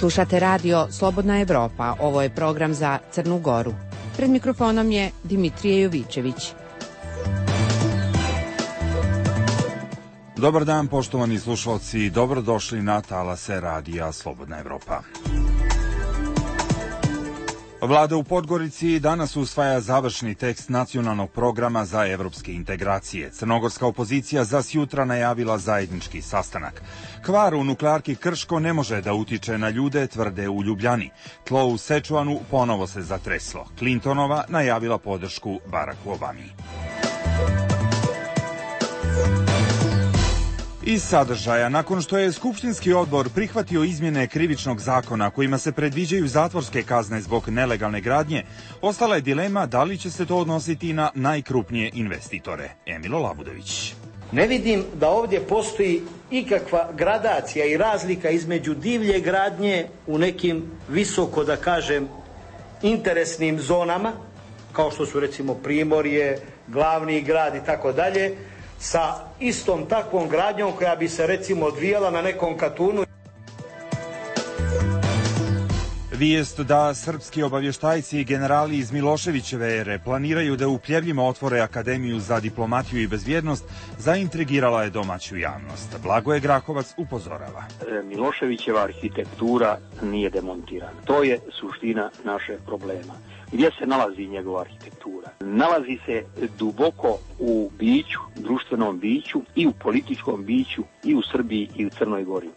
Slušate radio Slobodna Evropa, ovo je program za Crnu Goru. Pred mikrofonom je Dimitrije Jovičević. Dobar dan, poštovani slušalci, dobrodošli na talase radija Slobodna Evropa. Vlada u Podgorici danas usvaja završni tekst nacionalnog programa za evropske integracije. Crnogorska opozicija za sjutra najavila zajednički sastanak. Kvar u nuklearki Krško ne može da utiče na ljude, tvrde u Ljubljani. Tlo u Sečuanu ponovo se zatreslo. Clintonova najavila podršku Baracku Obami. Iz sadržaja, nakon što je Skupštinski odbor prihvatio izmjene krivičnog zakona kojima se predviđaju zatvorske kazne zbog nelegalne gradnje, ostala je dilema da li će se to odnositi na najkrupnije investitore. Emilo Labudović. Ne vidim da ovdje postoji ikakva gradacija i razlika između divlje gradnje u nekim visoko, da kažem, interesnim zonama, kao što su recimo Primorje, glavni grad i tako dalje, sa istom takvom gradnjom koja bi se recimo odvijala na nekom Katunu. Vijest da srpski obavještajci i generali iz Miloševićeve ere planiraju da u Pljevljima otvore Akademiju za diplomatiju i bezbjednost zaintrigirala je domaću javnost. Blagoje Grahovac upozorava. Miloševićeva arhitektura nije demontirana. To je suština našeg problema. Gdje se nalazi njegova arhitektura? Nalazi se duboko u biću, društvenom biću i u političkom biću i u Srbiji i u Crnoj Gori.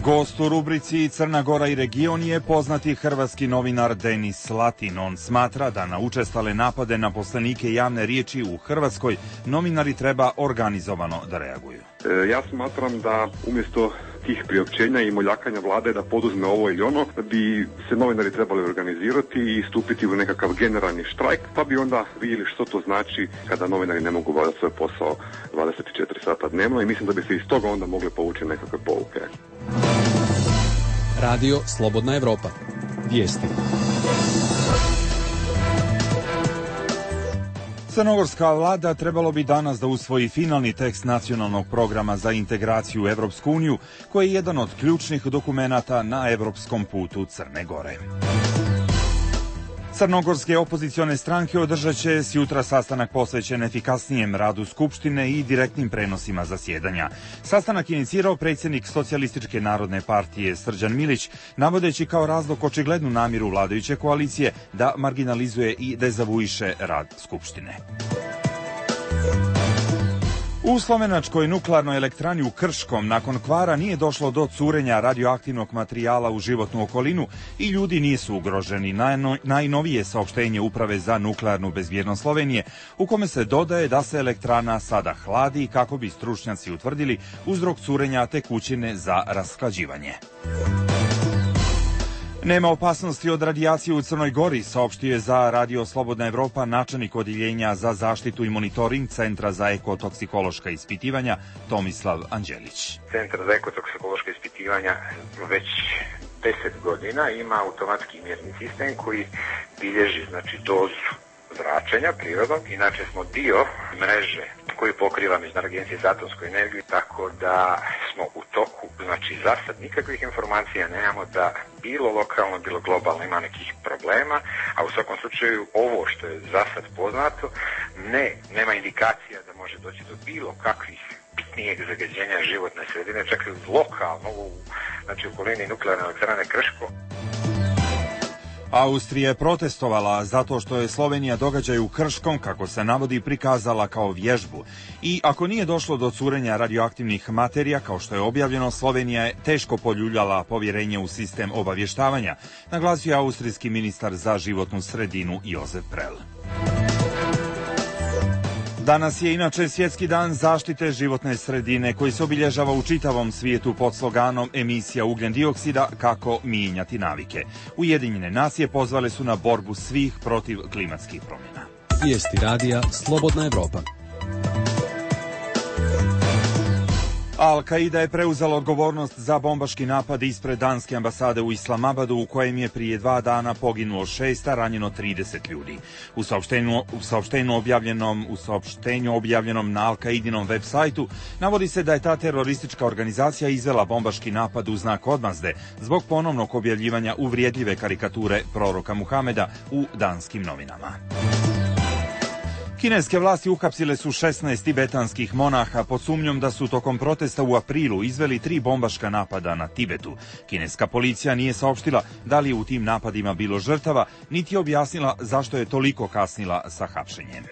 Gost u rubrici Crna Gora i region je poznati hrvatski novinar Denis Latin. On smatra da na učestale napade na poslanike javne riječi u Hrvatskoj novinari treba organizovano da reaguju. Ja smatram da umjesto tih priopćenja i moljakanja vlade da poduzme ovo ili ono, bi se novinari trebali organizirati i stupiti u nekakav generalni štrajk, pa bi onda vidjeli što to znači kada novinari ne mogu obavljati svoj posao 24 sata dnevno i mislim da bi se iz toga onda mogli povući nekakve pouke. Radio Slobodna Evropa. Vijesti. Crnogorska vlada trebalo bi danas da usvoji finalni tekst nacionalnog programa za integraciju u Evropsku uniju, koji je jedan od ključnih dokumenata na evropskom putu Crne Gore. Crnogorske opozicione stranke održat će sjutra sastanak posvećen efikasnijem radu Skupštine i direktnim prenosima zasjedanja. Sastanak je inicirao predsjednik Socijalističke narodne partije Srđan Milić, navodeći kao razlog očiglednu namjeru vladajuće koalicije da marginalizuje i dezavuiše rad Skupštine. U slovenačkoj nuklearnoj elektrani u Krškom nakon kvara nije došlo do curenja radioaktivnog materijala u životnu okolinu i ljudi nisu ugroženi. Najnovije saopštenje Uprave za nuklearnu bezbjednost Slovenije, u kome se dodaje da se elektrana sada hladi kako bi stručnjaci utvrdili uzrok curenja tekućine za rashlađivanje. Nema opasnosti od radijacije u Crnoj Gori, saopštio je za Radio Slobodna Evropa načelnik odjeljenja za zaštitu i monitoring Centra za ekotoksikološka ispitivanja Tomislav Anđelić. Centar za ekotoksikološka ispitivanja već 10 godina ima automatski mjerni sistem koji bilježi dozu zračenja prirodnog. Inače smo dio mreže koji pokriva Međunarodna agencija za atomsku energiju, tako da smo u toku, za sad nikakvih informacija nemamo da bilo lokalno, bilo globalno ima nekih problema, a u svakom slučaju ovo što je za sad poznato, nema indikacija da može doći do bilo kakvih bitnijeg zagađenja životne sredine, čak i lokalno, u okolini nuklearne elektrane Krško. Austrija je protestovala zato što je Slovenija događaj u Krškom, kako se navodi, prikazala kao vježbu. I ako nije došlo do curenja radioaktivnih materija, kao što je objavljeno, Slovenija je teško poljuljala povjerenje u sistem obavještavanja, naglasio je austrijski ministar za životnu sredinu Josef Prel. Danas je inače Svjetski dan zaštite životne sredine koji se obilježava u čitavom svijetu pod sloganom emisija ugljen dioksida kako mijenjati navike. Ujedinjene nacije pozvale su na borbu svih protiv klimatskih promjena. Vijesti radija Slobodna Evropa. Al-Qaida je preuzela odgovornost za bombaški napad ispred danske ambasade u Islamabadu u kojem je prije 2 dana poginulo 6, a ranjeno 30 ljudi. U saopštenju objavljenom na Al-Qaidinom web sajtu navodi se da je ta teroristička organizacija izvela bombaški napad u znak odmazde zbog ponovnog objavljivanja uvrijedljive karikature proroka Muhameda u danskim novinama. Kineske vlasti uhapsile su 16 tibetanskih monaha pod sumnjom da su tokom protesta u aprilu izveli 3 bombaška napada na Tibetu. Kineska policija nije saopštila da li je u tim napadima bilo žrtava, niti je objasnila zašto je toliko kasnila sa hapšenjem.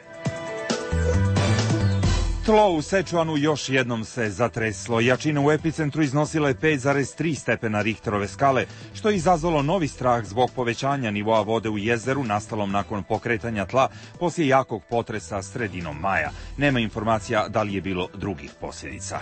Tlo u Sečuanu još jednom se zatreslo. Jačina u epicentru iznosila je 5,3 stepena Richterove skale, što je izazvalo novi strah zbog povećanja nivoa vode u jezeru nastalom nakon pokretanja tla poslije jakog potresa sredinom maja. Nema informacija da li je bilo drugih posljedica.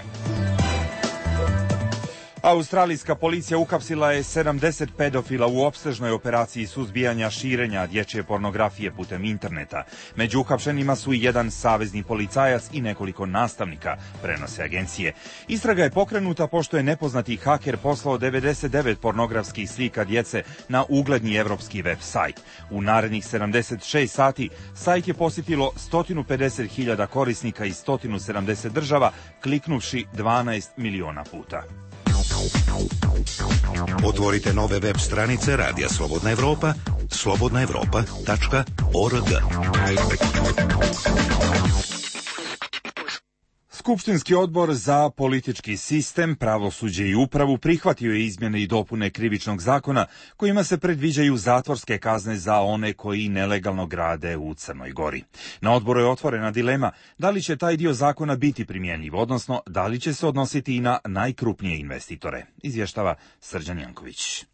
Australijska policija uhapsila je 70 pedofila u opsežnoj operaciji suzbijanja širenja dječje pornografije putem interneta. Među uhapšenima su i jedan savezni policajac i nekoliko nastavnika, prenose agencije. Istraga je pokrenuta pošto je nepoznati haker poslao 99 pornografskih slika djece na ugledni evropski web sajt. U narednih 76 sati sajt je posjetilo 150.000 korisnika iz 170 država, kliknuvši 12 miliona puta. Otvorite nove web stranice Radija Slobodna Evropa, slobodnaevropa.org. Skupštinski odbor za politički sistem, pravosuđe i upravu prihvatio je izmjene i dopune Krivičnog zakona kojima se predviđaju zatvorske kazne za one koji nelegalno grade u Crnoj Gori. Na odboru je otvorena dilema da li će taj dio zakona biti primjenjiv, odnosno da li će se odnositi i na najkrupnije investitore, izvještava Srđan Janković.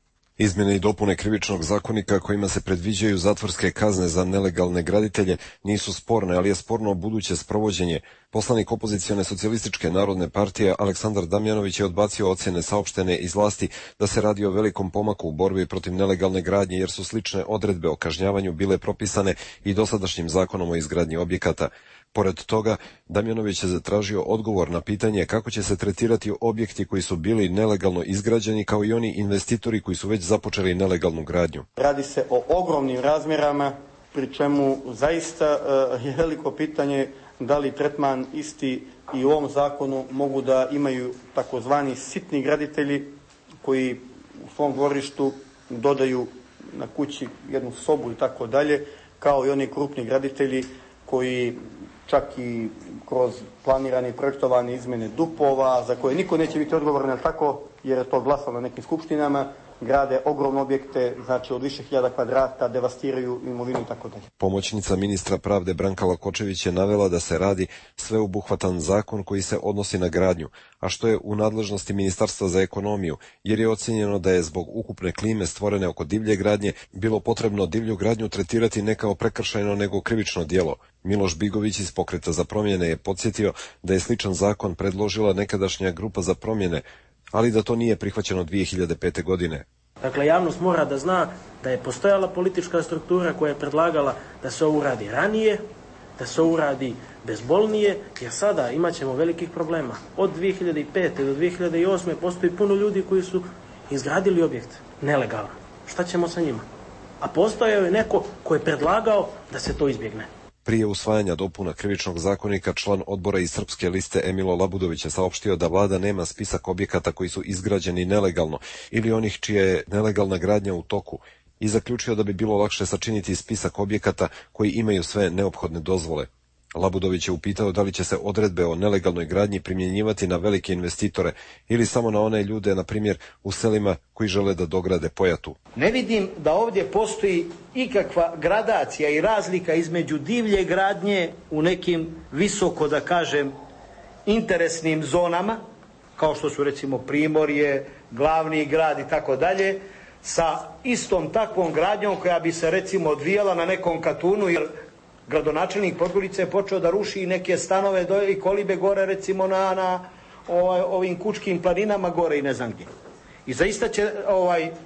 Izmjene i dopune Krivičnog zakonika kojima se predviđaju zatvorske kazne za nelegalne graditelje nisu sporne, ali je sporno buduće sprovođenje. Poslanik opozicione socijalističke narodne partije Aleksandar Damjanović je odbacio ocjene saopštene iz vlasti da se radi o velikom pomaku u borbi protiv nelegalne gradnje jer su slične odredbe o kažnjavanju bile propisane i dosadašnjim zakonom o izgradnji objekata. Pored toga, Damjanović je zatražio odgovor na pitanje kako će se tretirati objekti koji su bili nelegalno izgrađeni kao i oni investitori koji su već započeli nelegalnu gradnju. Radi se o ogromnim razmjerama, pri čemu zaista je veliko pitanje da li tretman isti i u ovom zakonu mogu da imaju takozvani sitni graditelji koji u svom dvorištu dodaju na kući jednu sobu i tako dalje, kao i oni krupni graditelji koji čak i kroz planirane i projektovane izmjene DUP-ova, za koje niko neće biti odgovoran, tako, jer je to glasalo na nekim skupštinama, grade ogromne objekte, znači od više hiljada kvadrata, devastiraju imovinu i tako dalje. Pomoćnica ministra pravde Branka Lakočević je navela da se radi sveobuhvatan zakon koji se odnosi na gradnju, a što je u nadležnosti Ministarstva za ekonomiju, jer je ocjenjeno da je zbog ukupne klime stvorene oko divlje gradnje bilo potrebno divlju gradnju tretirati ne kao prekršajno nego krivično djelo. Miloš Bigović iz Pokreta za promjene je podsjetio da je sličan zakon predložila nekadašnja grupa za promjene, ali da to nije prihvaćeno 2005. godine. Dakle, javnost mora da zna da je postojala politička struktura koja je predlagala da se ovo uradi ranije, da se ovo uradi bezbolnije, jer sada imat ćemo velikih problema. Od 2005. do 2008. postoji puno ljudi koji su izgradili objekt nelegalno. Šta ćemo sa njima? A postojao je neko ko je predlagao da se to izbjegne. Prije usvajanja dopuna Krivičnog zakonika, član odbora iz Srpske liste Emilo Labudović je saopštio da vlada nema spisak objekata koji su izgrađeni nelegalno ili onih čija je nelegalna gradnja u toku i zaključio da bi bilo lakše sačiniti spisak objekata koji imaju sve neophodne dozvole. Labudović je upitao da li će se odredbe o nelegalnoj gradnji primjenjivati na velike investitore ili samo na one ljude, na primjer, u selima koji žele da dograde Pojatu. Ne vidim da ovdje postoji ikakva gradacija i razlika između divlje gradnje u nekim visoko, da kažem, interesnim zonama, kao što su recimo Primorje, glavni grad i tako dalje, sa istom takvom gradnjom koja bi se recimo odvijala na nekom Katunu, jer gradonačelnik Podgorice je počeo da ruši neke stanove i kolibe gore recimo na ovim Kučkim planinama gore i ne znam gdje. I zaista će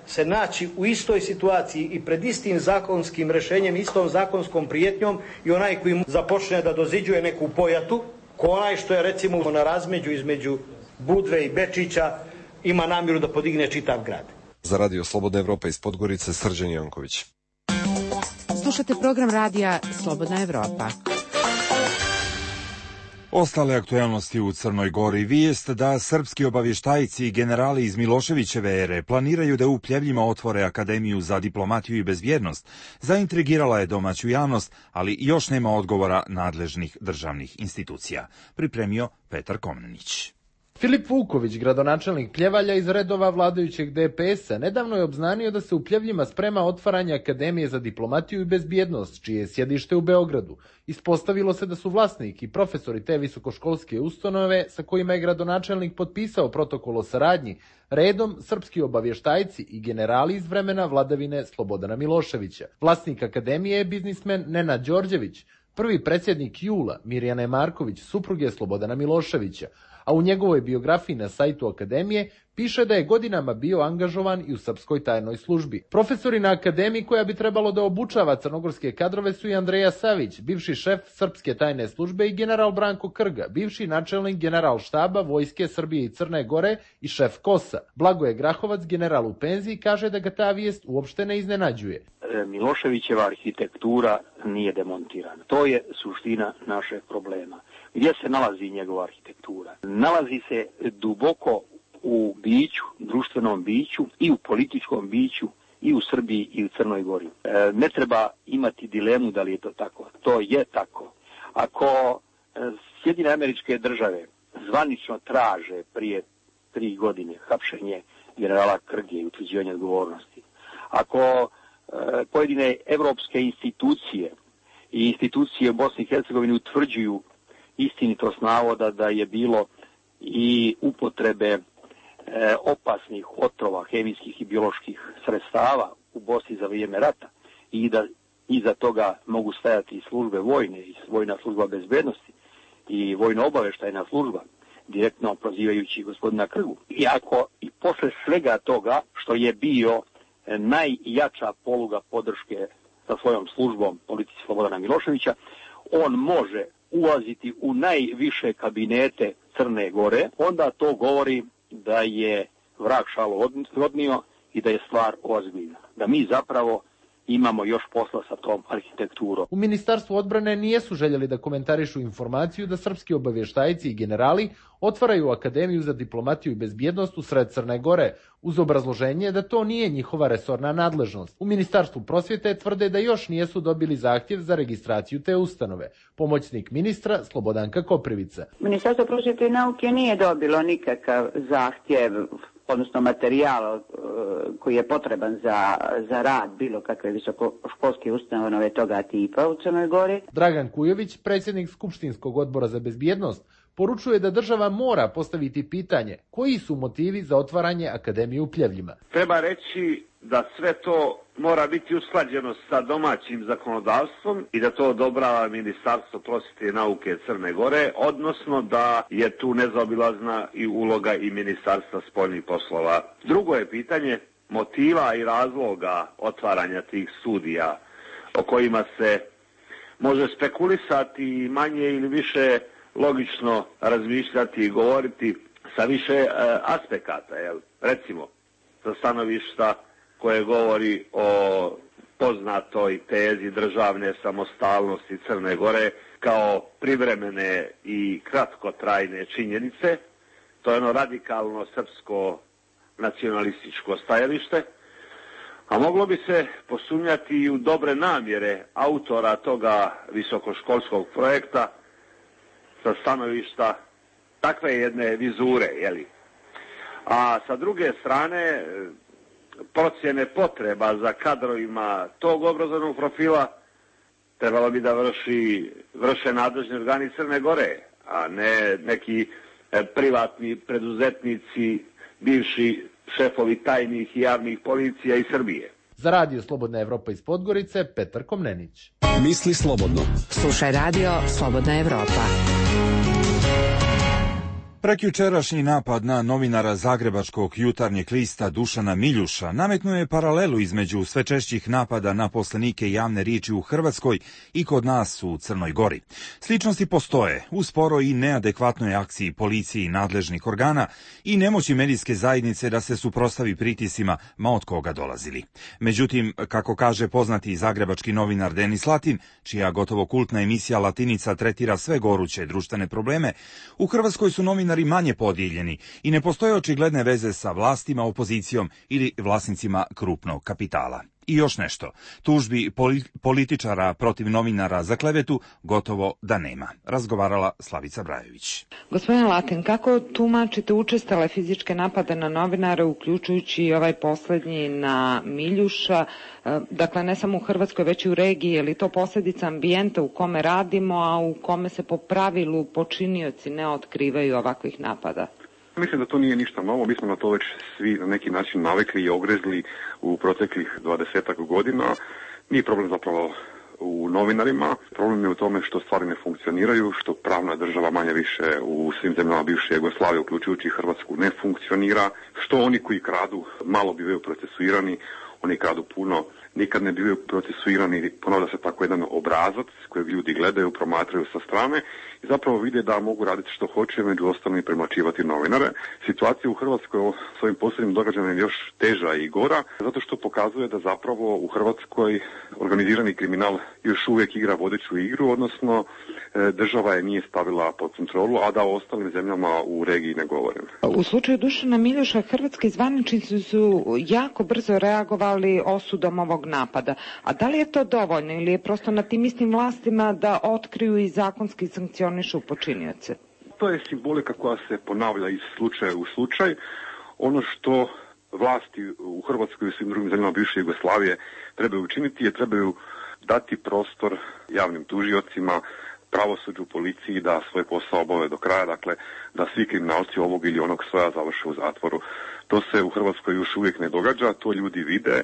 se naći u istoj situaciji i pred istim zakonskim rješenjem, istom zakonskom prijetnjom i onaj koji mu započne da doziđuje neku Pojatu, ko onaj što je recimo na razmeđu između Budve i Bečića ima namjeru da podigne čitav grad. Za Radio Slobodna Evropa iz Podgorice, Srđan Janković. Slušate program radija Slobodna Evropa. Ostale aktuelnosti u Crnoj Gori. Vijest da srpski obavještajci i generali iz Miloševićeve ere planiraju da u Pljevljima otvore Akademiju za diplomatiju i bezbjednost zaintrigirala je domaću javnost, ali još nema odgovora nadležnih državnih institucija. Pripremio Petar Komnenić. Filip Vuković, gradonačelnik Pljevalja iz redova vladajućeg DPS-a, nedavno je obznanio da se u Pljevljima sprema otvaranje Akademije za diplomatiju i bezbjednost, čije je sjedište u Beogradu. Ispostavilo se da su vlasnik i profesori te visokoškolske ustanove, sa kojima je gradonačelnik potpisao protokol o saradnji, redom srpski obavještajci i generali iz vremena vladavine Slobodana Miloševića. Vlasnik Akademije je biznismen Nenad Đorđević, prvi predsjednik Jula Mirjane Marković, supruge Slobodana Miloševića, a u njegovoj biografiji na sajtu Akademije piše da je godinama bio angažovan i u srpskoj tajnoj službi. Profesori na Akademiji koja bi trebalo da obučava crnogorske kadrove su i Andreja Savić, bivši šef srpske tajne službe, i general Branko Krga, bivši načelnik general štaba Vojske Srbije i Crne Gore i šef KOS-a. Blagoje Grahovac, general u penziji, kaže da ga ta vijest uopšte ne iznenađuje. Miloševićeva arhitektura nije demontirana. To je suština našeg problema. Gdje se nalazi njegova arhitektura? Nalazi se duboko u biću, društvenom biću i u političkom biću i u Srbiji i u Crnoj Gori. Ne treba imati dilemu da li je to tako. To je tako. Ako Sjedinjene Američke Države zvanično traže prije 3 godine hapšenje generala Krge i utvrđivanje odgovornosti, ako pojedine evropske institucije i institucije u Bosni i Hercegovini utvrđuju istinitost navoda da je bilo i upotrebe opasnih otrova, hemijskih i bioloških sredstava u Bosni za vrijeme rata i da iza toga mogu stajati i službe vojne i vojna služba bezbednosti i vojno-obavještajna služba, direktno prozivajući gospodina Krgu. I ako i posle svega toga što je bio najjača poluga podrške sa svojom službom politici Slobodana Miloševića, on može ulaziti u najviše kabinete Crne Gore, onda to govori da je vrag šalu odnio i da je stvar ozbiljna. Da mi zapravo imamo još posla sa tom arhitekturom. U Ministarstvu odbrane nijesu željeli da komentarišu informaciju da srpski obavještajci i generali otvaraju Akademiju za diplomatiju i bezbjednost u sred Crne Gore, uz obrazloženje da to nije njihova resorna nadležnost. U Ministarstvu prosvjete tvrde da još nijesu dobili zahtjev za registraciju te ustanove. Pomoćnik ministra Slobodanka Koprivica. Ministarstvo prosvjete i nauke nije dobilo nikakav zahtjev, odnosno materijal koji je potreban za rad bilo kakve visokoškolske ustanove toga tipa u Crnoj Gori. Dragan Kujović, predsjednik Skupštinskog odbora za bezbjednost, poručuje da država mora postaviti pitanje koji su motivi za otvaranje Akademije u Pljevljima. Treba reći da sve to mora biti usklađeno sa domaćim zakonodavstvom i da to odobrava Ministarstvo prosvjete i nauke Crne Gore, odnosno da je tu nezaobilazna i uloga i Ministarstva spoljnih poslova. Drugo je pitanje motiva i razloga otvaranja tih studija o kojima se može spekulisati i manje ili više logično razmišljati i govoriti sa više aspekata. Recimo, sa stanovišta koje govori o poznatoj tezi državne samostalnosti Crne Gore kao privremene i kratkotrajne činjenice. To je ono radikalno srpsko nacionalističko stajalište, a moglo bi se posumnjati i u dobre namjere autora toga visokoškolskog projekta sa stanovišta takve jedne vizure, A sa druge strane, procjene potreba za kadrovima tog obrazovnog profila trebalo bi da vrše nadležni organi Crne Gore, a ne neki privatni preduzetnici, bivši šefovi tajnih i javnih policija iz Srbije. Za Radio Slobodna Evropa iz Podgorice, Petar Komnenić. Misli slobodno. Slušaj Radio Slobodna Evropa. Prekjučerašnji napad na novinara zagrebačkog Jutarnjeg lista Dušana Miljuša nametnuo je paralelu između sve češćih napada na poslanike javne riječi u Hrvatskoj i kod nas u Crnoj Gori. Sličnosti postoje u sporoj i neadekvatnoj akciji policije i nadležnih organa i nemoći medijske zajednice da se suprotstavi pritiscima ma od koga dolazili. Međutim, kako kaže poznati zagrebački novinar Denis Latin, čija gotovo kultna emisija Latinica tretira sve goruće društvene probleme, u Hrvatskoj su novinari manje podijeljeni i ne postoje očigledne veze sa vlastima, opozicijom ili vlasnicima krupnog kapitala. I još nešto, tužbi političara protiv novinara za klevetu gotovo da nema, razgovarala Slavica Brajović. Gospodin Latin, kako tumačite učestale fizičke napade na novinare, uključujući i ovaj posljednji na Miljuša, dakle ne samo u Hrvatskoj već i u regiji, je li to posljedica ambijenta u kome radimo, a u kome se po pravilu počinioci ne otkrivaju ovakvih napada? Mislim da to nije ništa novo, mi smo na to već svi na neki način navikli i ogrezli u proteklih 20 godina. Nije problem zapravo u novinarima, problem je u tome što stvari ne funkcioniraju, što pravna država manje više u svim zemljama bivše Jugoslavije, uključujući Hrvatsku, ne funkcionira, što oni koji kradu malo bivaju procesuirani, oni kradu puno, nikad ne bivaju procesuirani, ponavlja se tako jedan obrazac kojeg ljudi gledaju, promatraju sa strane i zapravo vide da mogu raditi što hoće, među ostalim i premlaćivati novinare. Situacija u Hrvatskoj s ovim posljednjim događajem je još teža i gora, zato što pokazuje da zapravo u Hrvatskoj organizirani kriminal još uvijek igra vodeću igru, odnosno država je nije stavila pod kontrolu, a da o ostalim zemljama u regiji ne govorim. U slučaju Dušana Miljuša hrvatski zvaničnici su jako brzo reagovali osudom ovog napada. A da li je to dovoljno ili je prosto na tim istim vlastima da otkriju i zakonski sankcionišu počinioce? To je simbolika koja se ponavlja iz slučaja u slučaj. Ono što vlasti u Hrvatskoj i svim drugim zemljama bivše Jugoslavije trebaju učiniti je trebaju dati prostor javnim tužiocima, pravosuđu, policiji da svoj posao obave do kraja, dakle da svi kriminalci ovog ili onog svoja završe u zatvoru. To se u Hrvatskoj još uvijek ne događa, to ljudi vide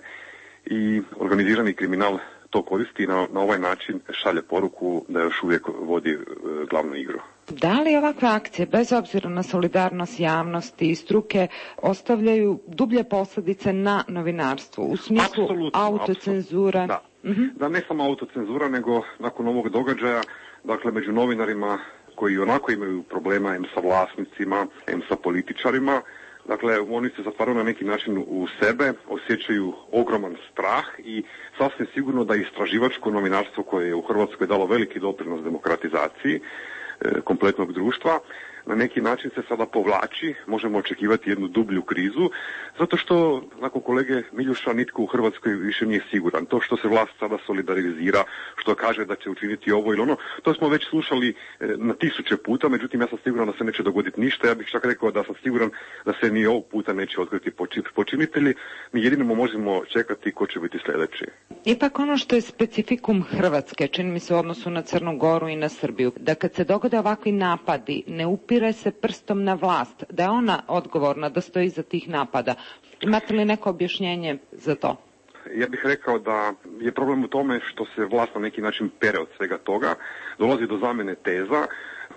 i organizirani kriminal to koristi i na ovaj način šalje poruku da još uvijek vodi glavnu igru. Da li ovakve akcije, bez obzira na solidarnost javnosti i struke, ostavljaju dublje posljedice na novinarstvo u smislu autocenzura? Da. Da, ne samo autocenzura, nego nakon ovog događaja, dakle među novinarima koji onako imaju problema em sa vlasnicima, em sa političarima, dakle, oni se zatvaraju na neki način u sebe, osjećaju ogroman strah i sasvim sigurno da istraživačko novinarstvo koje je u Hrvatskoj dalo veliki doprinos demokratizaciji kompletnog društva, na neki način se sada povlači, možemo očekivati jednu dublju krizu, zato što nakon kolege Miljuša nitko u Hrvatskoj više nije siguran. To što se vlast sada solidarizira, što kaže da će učiniti ovo ili ono, to smo već slušali na tisuće puta, međutim ja sam siguran da se neće dogoditi ništa, ja bih čak rekao da sam siguran da se ni ovog puta neće otkriti počinitelji, mi jedino možemo čekati ko će biti sljedeći. Ipak ono što je specifikum Hrvatske, čini mi se u odnosu na Crnu Goru i na Srbiju, da kad se dogode ovakvi napadi, ne upire se prstom na vlast, da je ona odgovorna, da stoji iza tih napada. Imate li neko objašnjenje za to? Ja bih rekao da je problem u tome što se vlast na neki način pere od svega toga, dolazi do zamjene teza,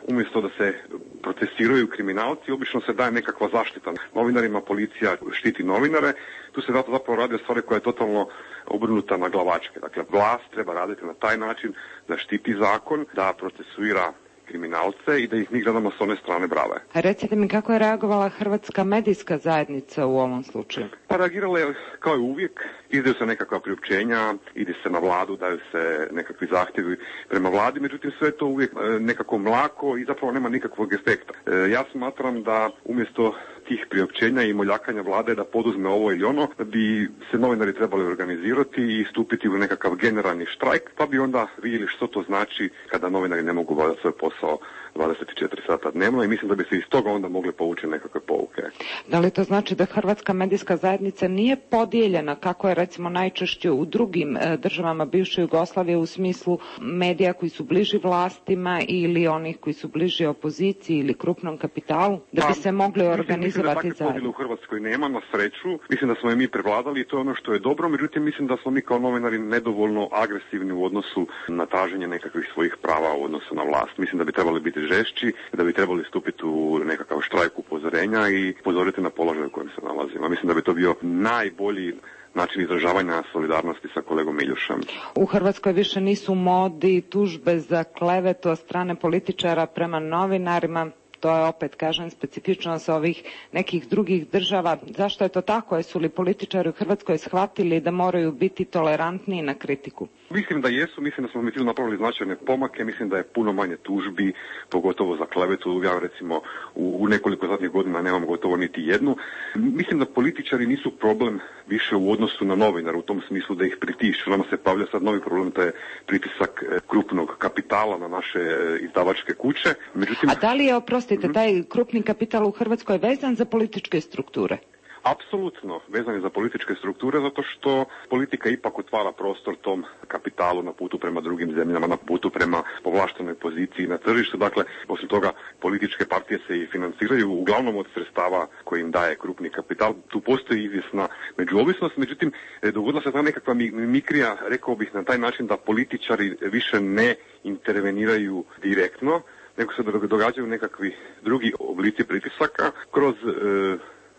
umjesto da se procesiraju kriminalci, obično se daje nekakva zaštita novinarima, policija štiti novinare, tu se zapravo radi o stvari koja je totalno obrnuta na glavačke. Dakle, vlast treba raditi na taj način da štiti zakon, da procesuira kriminalce i da ih mi gledamo s one strane brave. Recite mi kako je reagovala hrvatska medijska zajednica u ovom slučaju? Pa reagirala je kao i uvijek, izdaju se nekakva priopćenja, ide se na vladu, daju se nekakvi zahtjevi prema vladi, međutim sve to uvijek nekako mlako i zapravo nema nikakvog efekta. Ja smatram da umjesto tih priopćenja i moljakanja vlade da poduzme ovo ili ono, da bi se novinari trebali organizirati i stupiti u nekakav generalni štrajk, pa bi onda vidjeli što to znači kada novinari ne mogu obavljati svoj posao 24 sata dnevno i mislim da bi se iz toga onda mogli povući nekakve pouke. Da li to znači da hrvatska medijska zajednica nije podijeljena kako je recimo najčešće u drugim državama bivše Jugoslavije u smislu medija koji su bliži vlastima ili onih koji su bliži opoziciji ili krupnom kapitalu, da bi se mogli organizovati zajedno? Podjele u Hrvatskoj nema, na sreću. Mislim da smo je mi prevladali i to je ono što je dobro, međutim mislim da smo mi kao novinari nedovoljno agresivni u odnosu na traženje nekakvih svojih prava u odnosu na vlast. Mislim da bi trebali biti žešći, da bi trebali stupiti u nekakav štrajk upozorenja i upozoriti na položaj u kojem se nalazimo. Mislim da bi to bio najbolji način izražavanja solidarnosti sa kolegom Miljušem. U Hrvatskoj više nisu modi tužbe za klevetu od strane političara prema novinarima. To je opet, kažem, specifičnost ovih nekih drugih država. Zašto je to tako? Jesu li političari u Hrvatskoj shvatili da moraju biti tolerantniji na kritiku? Mislim da jesu, mislim da smo mi tu napravili značajne pomake, mislim da je puno manje tužbi, pogotovo za klevetu. Ja recimo u nekoliko zadnjih godina nemam gotovo niti jednu. Mislim da političari nisu problem više u odnosu na novinare, u tom smislu da ih pritišću. Nama se pavlja sad novi problem, to je pritisak krupnog kapitala na naše izdavačke kuće. Međutim, a da li je, oprostite, taj krupni kapital u Hrvatskoj vezan za političke strukture? Apsolutno vezan je za političke strukture, zato što politika ipak otvara prostor tom kapitalu na putu prema drugim zemljama, na putu prema povlaštenoj poziciji na tržištu. Dakle, osim toga, političke partije se i financiraju uglavnom od sredstava koje im daje krupni kapital. Tu postoji izvjesna međuovisnost, međutim, dogodila se ta nekakva mimikrija, rekao bih na taj način da političari više ne interveniraju direktno, nego se događaju nekakvi drugi oblici pritisaka kroz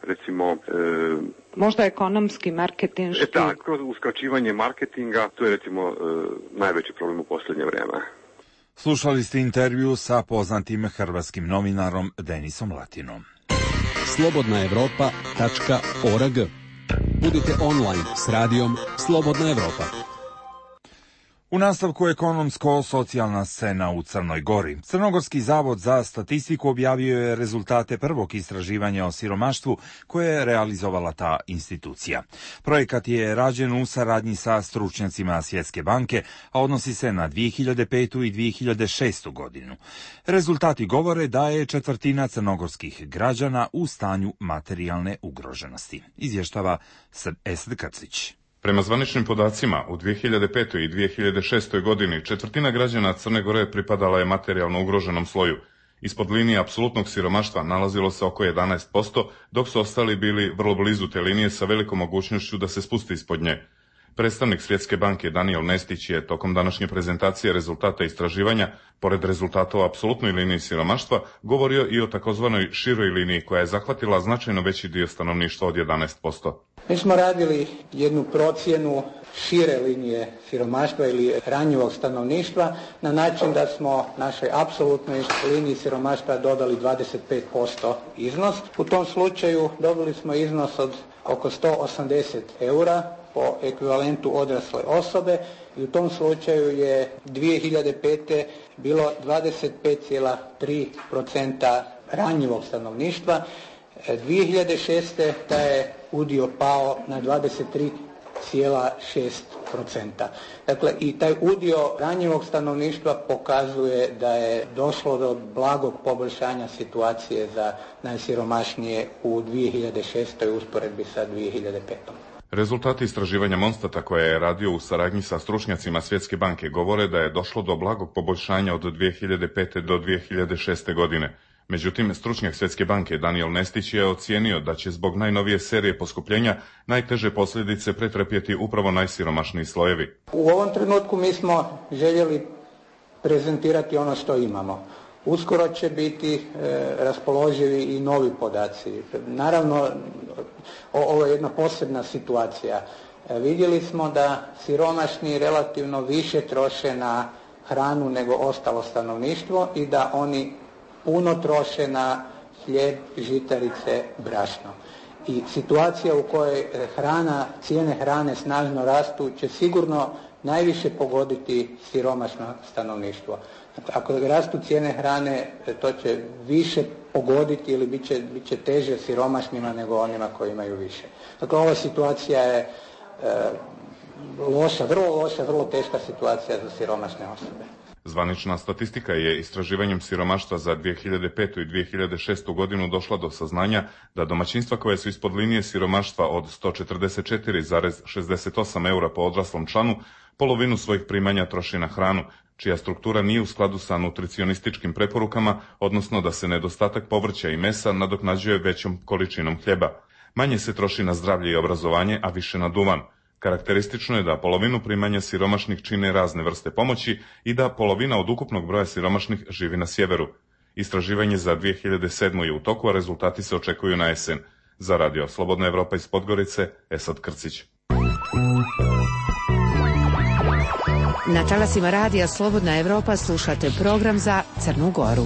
recimo možda ekonomski, marketinški. Tako, kroz uskraćivanje marketinga, to je recimo najveći problem u posljednje vrijeme. Slušali ste intervju sa poznatim hrvatskim novinarom Denisom Latinom. slobodnaevropa.org. Budite online s radijom Slobodna Evropa. U nastavku ekonomsko-socijalna scena u Crnoj Gori. Crnogorski zavod za statistiku objavio je rezultate prvog istraživanja o siromaštvu koje je realizovala ta institucija. Projekat je rađen u saradnji sa stručnjacima Svjetske banke, a odnosi se na 2005. i 2006. godinu. Rezultati govore da je četvrtina crnogorskih građana u stanju materijalne ugroženosti. Izvještava Esad Krcić. Prema zvaničnim podacima, u 2005. i 2006. godini četvrtina građana Crne Gore pripadala je materijalno ugroženom sloju. Ispod linije apsolutnog siromaštva nalazilo se oko 11%, dok su ostali bili vrlo blizu te linije sa velikom mogućnošću da se spusti ispod nje. Predstavnik Svjetske banke Daniel Nestić je tokom današnje prezentacije rezultata istraživanja, pored rezultata o apsolutnoj liniji siromaštva, govorio i o takozvanoj široj liniji koja je zahvatila značajno veći dio stanovništva od 11%. Mi smo radili jednu procjenu šire linije siromaštva ili ranjivog stanovništva na način da smo našoj apsolutnoj liniji siromaštva dodali 25% iznos. U tom slučaju dobili smo iznos od oko 180 eura po ekvivalentu odrasle osobe i u tom slučaju je 2005. bilo 25,3% ranjivog stanovništva. 2006. taj je udio pao na 23,6%. Dakle, i taj udio ranjivog stanovništva pokazuje da je došlo do blagog poboljšanja situacije za najsiromašnije u 2006. usporedbi sa 2005. Rezultati istraživanja Monstata koje je radio u saradnji sa stručnjacima Svjetske banke govore da je došlo do blagog poboljšanja od 2005. do 2006. godine. Međutim, stručnjak Svjetske banke Daniel Nestić je ocijenio da će zbog najnovije serije poskupljenja najteže posljedice pretrpjeti upravo najsiromašniji slojevi. U ovom trenutku mi smo željeli prezentirati ono što imamo. Uskoro će biti raspoloživi i novi podaci. Naravno, ovo je jedna posebna situacija. Vidjeli smo da siromašni relativno više troše na hranu nego ostalo stanovništvo i da oni puno troše na hljeb, žitarice, brašno. I situacija u kojoj cijene hrane snažno rastu će sigurno najviše pogoditi siromašno stanovništvo. Ako rastu cijene hrane, to će više pogoditi ili bit će teže siromašnima nego onima koji imaju više. Dakle, ova situacija je loša, vrlo teška situacija za siromašne osobe. Zvanična statistika je istraživanjem siromaštva za 2005. i 2006. godinu došla do saznanja da domaćinstva koje su ispod linije siromaštva od 144,68 eura po odraslom članu polovinu svojih primanja troši na hranu, čija struktura nije u skladu sa nutricionističkim preporukama, odnosno da se nedostatak povrća i mesa nadoknađuje većom količinom hljeba. Manje se troši na zdravlje i obrazovanje, a više na duvan. Karakteristično je da polovinu primanja siromašnih čine razne vrste pomoći i da polovina od ukupnog broja siromašnih živi na sjeveru. Istraživanje za 2007. je u toku, a rezultati se očekuju na jesen. Za Radio Slobodna Evropa iz Podgorice, Esad Krcić. Na talasima Radija Slobodna Evropa slušate program za Crnu Goru.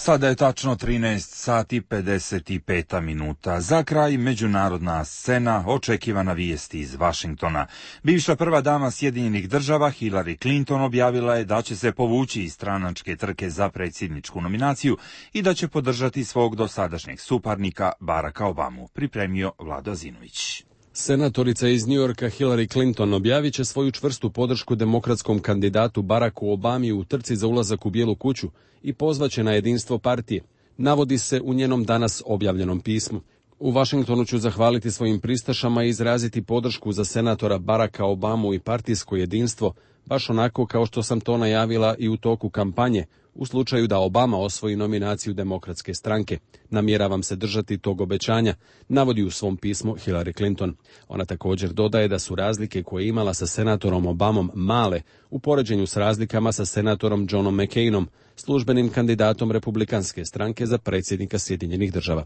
Sada je tačno 13 sati 55 minuta. Za kraj međunarodna scena, očekivana vijesti iz Vašingtona. Bivša prva dama Sjedinjenih država Hillary Clinton objavila je da će se povući iz stranačke trke za predsjedničku nominaciju i da će podržati svog dosadašnjeg suparnika Baracka Obamu, pripremio Vlado Zinović. Senatorica iz New Yorka Hillary Clinton objavit će svoju čvrstu podršku demokratskom kandidatu Baracku Obami u trci za ulazak u Bijelu kuću i pozvaće na jedinstvo partije, navodi se u njenom danas objavljenom pismu. U Vašingtonu ću zahvaliti svojim pristašama i izraziti podršku za senatora Baracka Obamu i partijsko jedinstvo, baš onako kao što sam to najavila i u toku kampanje, u slučaju da Obama osvoji nominaciju Demokratske stranke. Namjeravam se držati tog obećanja, navodi u svom pismu Hillary Clinton. Ona također dodaje da su razlike koje je imala sa senatorom Obamom male u poređenju s razlikama sa senatorom Johnom McCainom, službenim kandidatom Republikanske stranke za predsjednika Sjedinjenih država.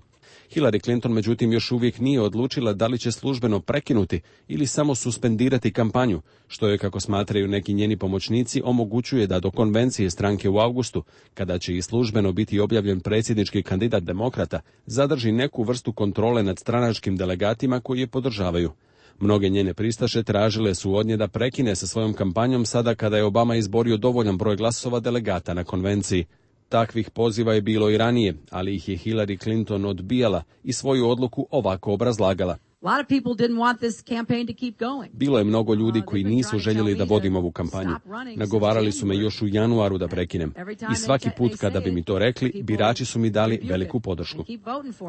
Hillary Clinton međutim još uvijek nije odlučila da li će službeno prekinuti ili samo suspendirati kampanju, što je, kako smatraju neki njeni pomoćnici, omogućuje da do konvencije stranke u avgustu, kada će i službeno biti objavljen predsjednički kandidat demokrata, zadrži neku vrstu kontrole nad stranačkim delegatima koji je podržavaju. Mnoge njene pristaše tražile su od nje da prekine sa svojom kampanjom sada kada je Obama izborio dovoljan broj glasova delegata na konvenciji. Takvih poziva je bilo i ranije, ali ih je Hillary Clinton odbijala i svoju odluku ovako obrazlagala. Bilo je mnogo ljudi koji nisu željeli da vodim ovu kampanju. Nagovarali su me još u januaru da prekinem. I svaki put kada bi mi to rekli, birači su mi dali veliku podršku.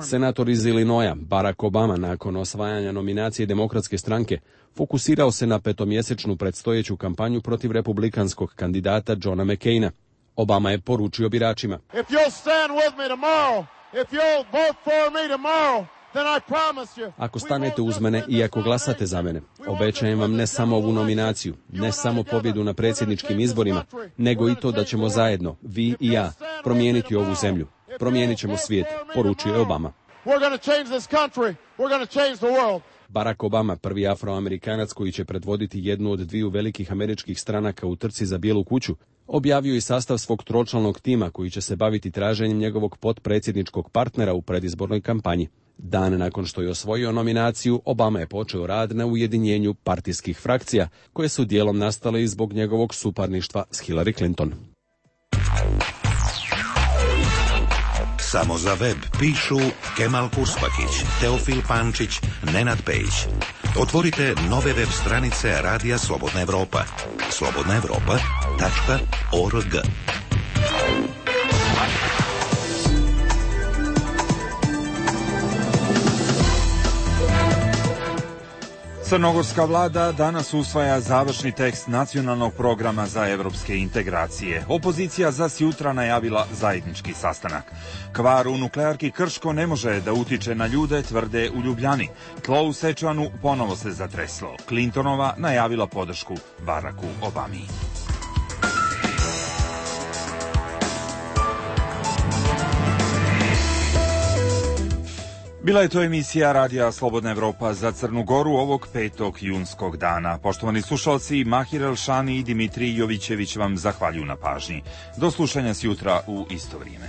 Senator iz Illinoisa, Barack Obama, nakon osvajanja nominacije Demokratske stranke, fokusirao se na petomjesečnu predstojeću kampanju protiv republikanskog kandidata Johna McCaina. Obama je poručio biračima: ako stanete uz mene i ako glasate za mene, obećajem vam ne samo ovu nominaciju, ne samo pobjedu na predsjedničkim izborima, nego i to da ćemo zajedno, vi i ja, promijeniti ovu zemlju. Promijenit ćemo svijet, poručio je Obama. Barack Obama, prvi Afroamerikanac koji će predvoditi jednu od dviju velikih američkih stranaka u trci za Bijelu kuću, objavio i sastav svog tročlanog tima koji će se baviti traženjem njegovog potpredsjedničkog partnera u predizbornoj kampanji. Dan nakon što je osvojio nominaciju, Obama je počeo rad na ujedinjenju partijskih frakcija, koje su dijelom nastale i zbog njegovog suparništva s Hillary Clinton. Samo za web pišu Kemal Kuspakić, Teofil Pančić, Nenad Pejić. Otvorite nove web stranice Radija Slobodna Evropa. slobodnaevropa.org. Crnogorska vlada danas usvaja završni tekst nacionalnog programa za evropske integracije. Opozicija za sjutra najavila zajednički sastanak. Kvar u nuklearki Krško ne može da utiče na ljude, tvrde u Ljubljani. Tlo u Sečvanu ponovo se zatreslo. Clintonova najavila podršku Baracku Obami. Bila je to emisija Radija Slobodna Evropa za Crnu Goru ovog 5. junskog dana. Poštovani slušalci, Mahir Elšani i Dimitrij Jovićević vam zahvaljuju na pažnji. Do slušanja sjutra u isto vrijeme.